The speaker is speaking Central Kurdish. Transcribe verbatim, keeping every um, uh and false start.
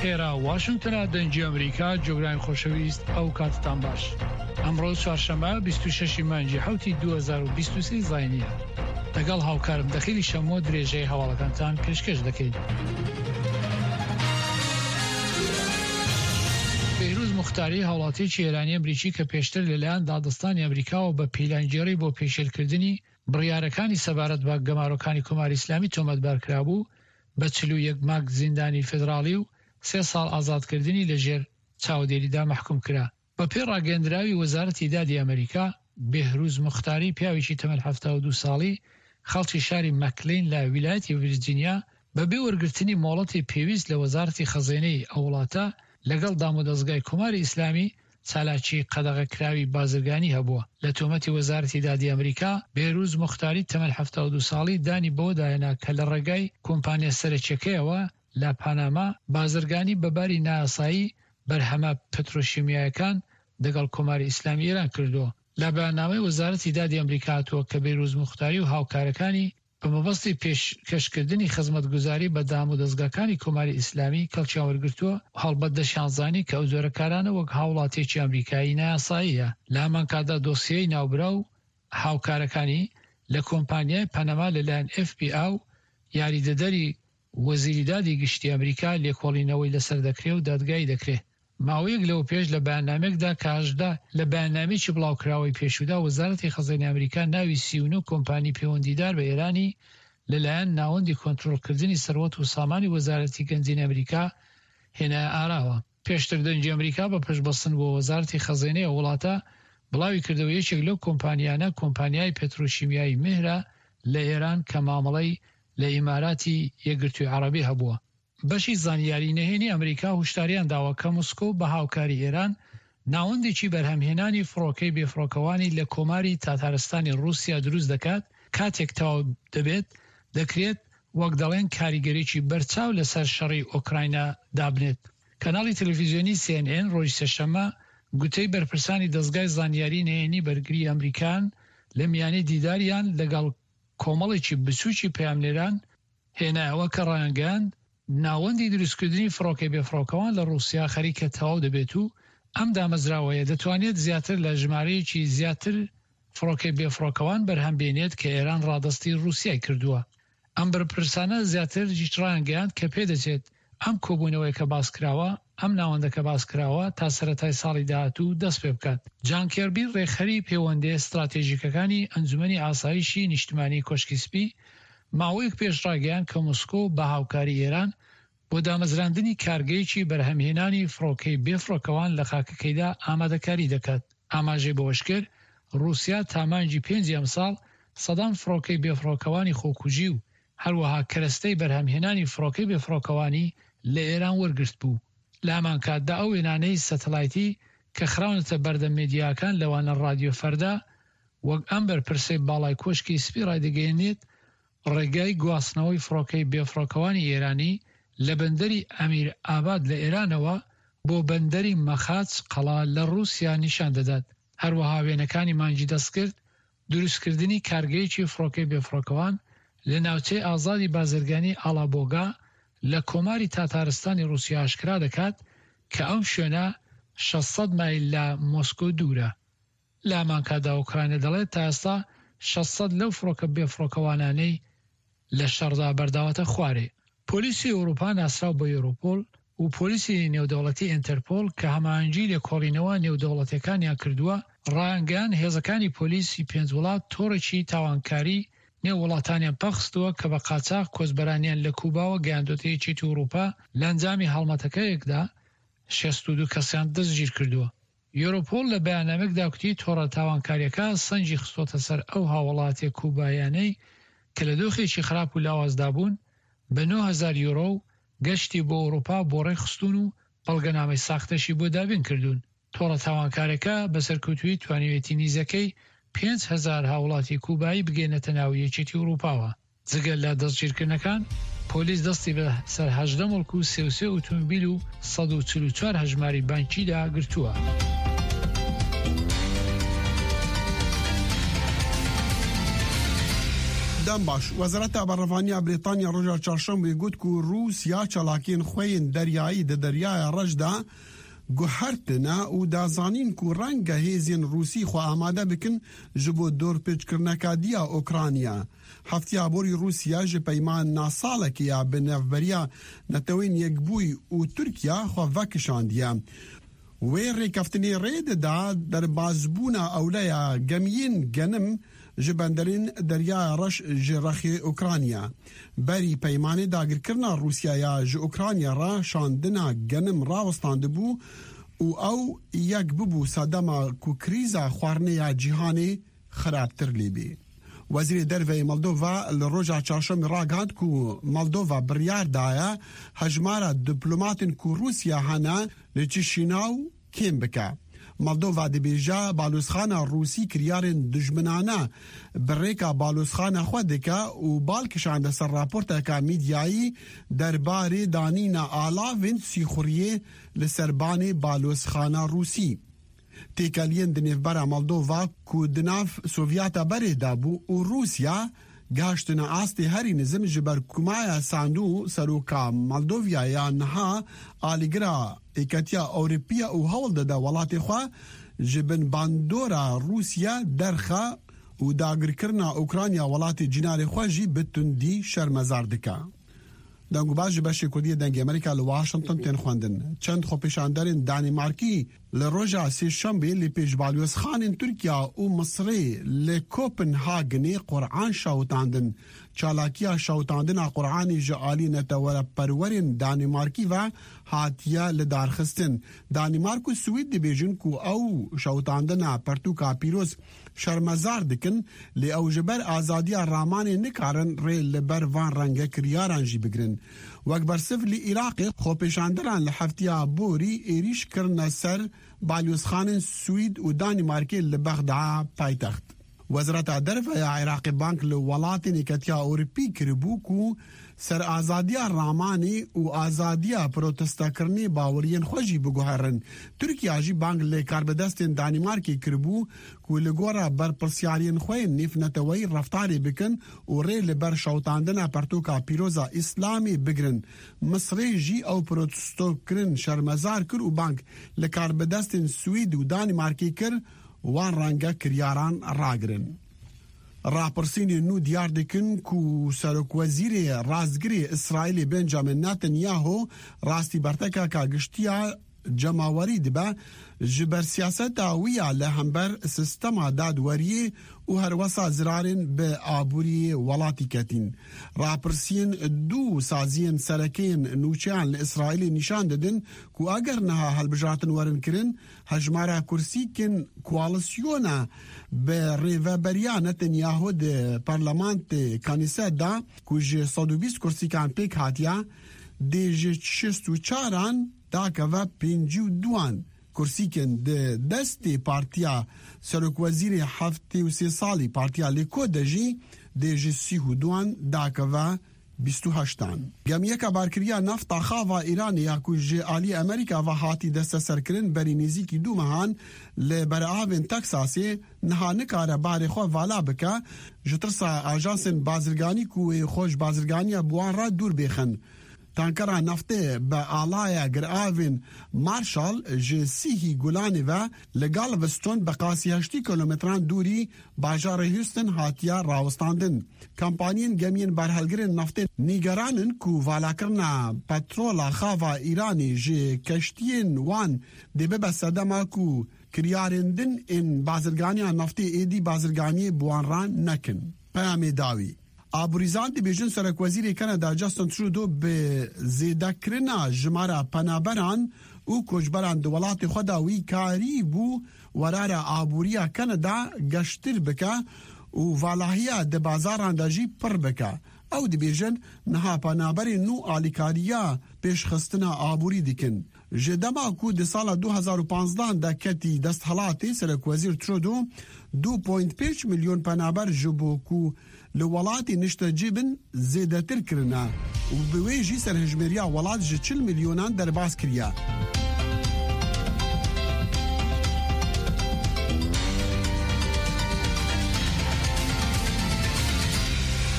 ئێرە واشنگتنە، دەنگی ئەمریکا، جۆگرانی خۆشەویست، ئەو کاتتان باش. ئەمڕۆ چوارشەممە بیست و شەش ی مانگی حەوتی دوو هەزار و بیست و سێ زاینییە. لەگەڵ هاوکارم دەخیلی شەمۆ درێژەی هەواڵەکانتان پێشکەش دەکەین. بێهروز موختاری، هاوڵاتییەکی ئێرانی ئەمریکی کە پێشتر لەلایەن دادستانی ئەمریکاوە بە پیلانگێڕی بۆ پێشێلکردنی بڕیارەکانی سەبارەت بە گەمارۆکانی کۆماری ئیسلامی تۆمەتبار کرابوو، بە چل و یەک مانگ زیندانی فێدراڵی و سێ ساڵ ئازادکردنی لەژێر چاودێریدا مەحکوم کرا. بەپێی ڕاگەیەندراوی وەزارەتی دادی ئەمریکا، بێهروز موختاری پیاوێکی تەمەن حەفتا و دوو ساڵی خەڵکی شاری مەکلین لە ویلایەتی ڤیرجینیا بەبێ وەرگرتنی مۆڵەتی پێویست لە وەزارەتی خەزێنەی ئەو وڵاتە لەگەڵ دامودەزگای کۆماری ئیسلامی چالاکی قەدەغەکراوی بازرگانی هەبووە. لە تۆمەتی وەزارەتی دادی ئەمریکا، بێهروز موختاری تەمەن حەفتا و دوو ساڵی دانی بەوەدا هێنا کە لە ڕێگای کۆمپانیا سەرەکیەکەیەوە لە پاناما بازرگانی بە باری نایاسایی بەرهەمە پترۆشیمیایەکان دەگەڵ کۆماری ئیسلامی ئێران کردووە. لە بەیاننامەی وەزارەتی دادی ئەمریکا هاتووە کە بێهروز موختاری و هاوکارەکانی بە مەبەستی پێشکەشکردنی خزمەتگوزاری بە دامودەزگاکانی کۆماری ئیسلامی کەڵکیان وەرگرتووە و هەڵبەت دەشیانزانی کە ئەو جۆرە کارانە وەک هاوڵاتیەکی ئەمریکایی نایاساییە. لە هەمانکاتدا دۆسیەی ناوبراو و هاوکارەکانی لە کۆمپانیای پەنەما لەلایەن ئێف بی ئا و یاریدەدەری وەزیری دادی گشتی ئەمریکا لێکۆڵینەوەی لەسەر دەکرێ و دادگایی دەکرێ. ماوەیەک لەوەپێش لە بەیاننامەیەکدا کە هەژدە لە بەیاننامەیەکی بڵاوکراوەی پێشوودا وەزارەتی خەزێنەی ئەمریکا ناوی سی و نۆ کۆمپانی پەیوەندیدار بە ئێرانی لەلایەن ناوەندی کۆنترۆڵکردنی سەروەت و سامانی وەزارەتی گەنجینەی ئەمریکا هێنایە ئاراوە. پێشتر دەنگی ئەمریکا بە پشتبەستن بۆ وەزارەتی خەزێنەی ئەو وڵاتە بڵاویکردەوە یەکێک لەو کۆمپانیانە کۆمپانیای پێترۆشیمیایی مێهرە لە ئێران کە مامەڵەی لە ئیماراتی یەکگرتووی عەڕەبی هەبووە. بەشی زانیاری نهێنی ئەمریکا هوشداریان داوە کە مسکۆ بە هاوکاری ئێران ناوەندێکی بەرهەمهێنانی فڕۆکەی بێفڕۆکەوانی لە کۆماری تاتارستانی ڕووسیا دروست دەکات، کاتێک تەواو دەبێت دەکرێت وەک دەڵێن کاریگەریی بەرچاو لەسەر شەڕی ئۆکراینا دابنێت. کەناڵی تەلەفیزیۆنی سی ئێن ئێن ڕۆژی سێشەممە گوتەی بەرپرسانی دەزگای زانیاری نهێنی بەرگری ئەمریکان لە میانەی دیداریان لەگەڵ کۆمەڵێکی بچووکی پەیامنێران هێنایەوە کە ڕایانگەیاند، ناوەندی دروستکردنی فڕۆکەی بێفڕۆکەوان لە ڕووسیا خەریکە تەواو دەبێت و ئەم دامەزراوەیە دەتوانێت زیاتر لە ژمارەیەکی زیاتر فڕۆکەی بێفڕۆکەوان بەرهەم بێنێت کە ئێران ڕادەستی ڕووسیای کردووە. ئەم بەرپرسانە زیاتر ڕایانگەیاند کە پێدەچێت ئەم کۆبوونەوەیە کە باسکراوە ئەم ناوەندە کە باسکراوە تا سەرەتای ساڵی داهاتوو دەست پێ بکات. جان کێربی ڕێکخەری پەیوەندییە ستراتێژیکەکانی ئەنجومەنی ئاسایشی نیشتمانی کۆشکی سپی ماوەیەک پێش ڕاگەیاند کە مسکۆ بە هاوکاری ئێران بۆ دامەزراندنی کارگەیەکی بەرهەمهێنانی فڕۆکەی بێفڕۆکەوان لە خاکەکەیدا ئامادەکاری دەکات. ئاماژەی بەوەشکرد، ڕووسیا تا مانگی پێنجی ئەمساڵ سەدان فڕۆکەی بێفڕۆکەوانی خۆکوژی و هەروەها کەرەستەی بەرهەمهێنانی فڕۆکەی بێفڕۆکەوانی لە ئێران وەرگرتبوو. لە هەمانکاتدا ئەو وێنانەی سەتەلایتی کە خراونەتە بەردەم مێدیاکان لەوانە ڕادیۆ فەردا وەک ئەم بەرپرسەی باڵای کۆشکی سپی ڕایدەگەیەنێت ڕێگای گواستنەوەی فڕۆکەی بێفڕۆکەوانی ئێرانی لە بەندەری ئەمیر ئاباد لە ئێرانەوە بۆ بەندەری مەخاچ قەڵا لە ڕووسیا نیشان دەدات. هەروەها وێنەکانی مانگی دەستکرد دروستکردنی کارگەیەکی فڕۆکەی بێفڕۆکەوان لە ناوچەی ئازادی بازرگانی ئاڵابۆگا لە کۆماری تاتارستانی ڕووسیا ئاشکرا دەکات کە ئەم شوێنە شەش سەد مایل لە مۆسکۆ دوورە. لە هەمانکاتدا ئۆکرانیا دەڵێت تا ئێستا شەش سەد لەو فڕۆکە بێفڕۆکەوانانەی لە شەڕدا بەرداوەتە خوارێ. پۆلیسی ئەوروپا ناسراو بە یۆرۆپۆل و پۆلیسی نێودەوڵەتی ئینتەرپۆل کە هەماهەنگی لێکۆڵینەوە نێودەوڵەتیەکانیان کردووە ڕایانگەیاند هێزەکانی پۆلیسی پێنج وڵات تۆڕێکی تاوانکاری نێو وڵاتانیان پەخستووە کە بە قاچاخ کۆچبەرانیان لە کوباوە گەیاندۆتە یەکێتی ئەوروپا لە ئەنجامی هەڵمەتەکەیەکدا شەست و دوو کەسیان دەستگیرکردووە. یۆرۆپۆل لە بەیاننامەیەکدا گوتی تۆڕە تاوانکارییەکە سەنگی خستۆتە سەر ئەو هاوڵاتیە کوبایانەی کە لە دۆخێکی خراپ و لاوازدا بوون بە نۆ هەزار یۆرۆ و گەشتی بۆ ئەوروپا بۆ ڕێکخستوون و بەڵگەنامەی ساختەشی بۆ دابین کردوون. تۆڕە تاوانکارەکە بە سەرکەوتوویی توانیویەتی نیزەکەی پێنج هەزار هاوڵاتی کوبایی بگەینێتە ناو یەکێتی ئەوروپاوە. جگە لە دەستگیرکردنەکان، پۆلیس دەستی بە سەر هەژدە موڵک و سێ و سێ ئۆتۆمبیل و سەد و چل و چوار هەژماری بانکیدا گرتووە. دەم باش. وەزارەتا بەرەڤانیا بریتانیا ڕۆژا چارشەمبێ گوت ku Rûsya çalakiyên xwe yên deryayî di deryaya reş de guhertine û dazanîn ku renge hêzên Rûsî xwe amade bikin ji bo dorpêçkirineka diya Ukrayna. Heftiya borî Rûsya ji peymana salekê ya bi navberiya Netewên Yekbûyî û Tirkiya xwe vekişandiye. Wê rêkeftinê rê dida derbasbûna ewleya gemiyên genim ji benderên deryaya reş ji rexê Ukrayna. Berî peymanê dagirkirina Rûsya ya ji Ukrayna re şandina genim rawestandibû û ew yek bibû sedema ku krîza xwarinê ya cîhanê xerabtir lê bê. Wezîrê Derveyê Moldova li roja çarşemê ragihand ku Moldova biryar daye hejmara diplomatên ku Rûsya hene li Çişînaw kêm bike. Moldova dibêje balozxana Rûsî kiryarên dijminane bi rêka balozxana xwe dike û bal kişande ser raporteka medyayî derbarê danîna alavên sîxuriyê li ser banê balozxana Rûsî. Têkeliyên di nêvbera Moldova ku di nav Sovyeta berê de bû û Rûsya gihiştine astê herî nizm ji ber ku Maya Sandu seroka Moldovya ya niha alîgira Yekîtiya Ewropiya û hewl dide welatê xwe ji bin bandora Rûsya derxe û dagirkirina Ukrayna welatê cînarê xwe jî bi tundî şermezar dike. Dengûbaz ji beşê Kurdiyê Dengê Amerîka li Washington tên xwendin. Çend xwepêşanderên Danîmarkî li roja sêşembê li pêş balyozxanên Tirkiya û Misrê li Kopenhagenê Quran şewitandin. Çalakiya şewitandina Quranê ji alî neteweperwerên Danîmarkî ve hatiye lidarxistin. Danîmark û Swêd dibêjin ku ew şewitandina pirtûka pîroz şermezar dikin, lê ew ji ber azadiya ramanê nikarin rê li ber van renge kiryaran jî bigirin. Wek bersiv li Iraqê xwepêşanderan li heftiya borî êrîş kirine ser balyozxanên Swêd û Danîmarkê li Bexda paytext. Wezareta Derve ya Iraqê bank li welatên Yekîtiya Ewropî kiribû ku ser azadiya ramanê û azadiya protestakirinê baweriyên xwe jî biguherin. Tirkiya jî bang li karbidestên Danîmarkê kiribû ku li gora berpirsyariyên xwe yên nêvneteweyî reftarê bikin û rê li ber şewitandina pirtûka pîroza Îslamê bigirin. Misrê jî ew protestokirin şermezar kir û bang li karbidestên Swêd û Danîmarkê kir wan renge kiryaran ragirin. Rapirsînên nû diyar dikin ku serokwezîrê rastgirê Îsraîlê Benjamin Netanyahu rastî bertekeka giştiya cemawerî dibe ji ber siyaseta wî ya li hember sistema dadweriyê û herwesa zirarên bi aboriyê welatî ketîn. Rapirsiyên du saziyên serekeyên nûçeyan li Îsraîlê nîşan didin ku eger niha hilbijartin werin kirin, hejmara kursîkên koalisyona bi rêveberiya Netanyahu di parlamentê Knesset de ku ji sed û bîst kursîkan pêk hatiye, dê ji şêst û çaran dakeve pêncî û duan. Kursîkên di destê partiya serokwezîrê heftê û sê salî partiya Likud de jî dê ji sî û duan dakeve bîst û heştan. Gemiyeka barkiriya nafta xava Îranê ya ku ji aliyê Amerîka ve hatî desteserkirin berî nêzîkî du mehan li beravên Teksasê niha nikare barê xwe vala bike ji tirsa ajansên bazirganî ku wê xwe ji bazirganiya bi wan re dûr bêxin. Tankera naftê bi alaya giravên Marshall ji sîhî Gulanê ve li Galveston bi qasî heştî kilometran dûrî bajarê Houston hatiye rawestandin. Kampaniyên gemiyên barhelgirên naftê nîgeran in ku valakirina petrola xava Îranê ji keştiyên wan dê bibe sedema ku kiryarên din ên bazirganiya naftê êdî bazirganiyê bi wan re nekin. Peyamê dawî. Aborîzan dibêjin Serokwezîrê Kanada Justin Trudeau bi zêdekirina jimara penaberan û koçberan di welatê xwe de wî karî bû werara aboriya Kanada geştir bike û valahiya di bazaran de jî pir bike. Ew dibêjin niha penaberên nû alîkariya pêşxistina aborî dikin. Ji dema ku di sala du hezar û panzdehan de ketî desthilatê Serokwezîr Trudeau du point pênc milyon penaber ji bo ku li welatê niştecî bin zêdetir kirine û bi wê jî serhejmêriya welat ji çil milyonan derbas kiriye.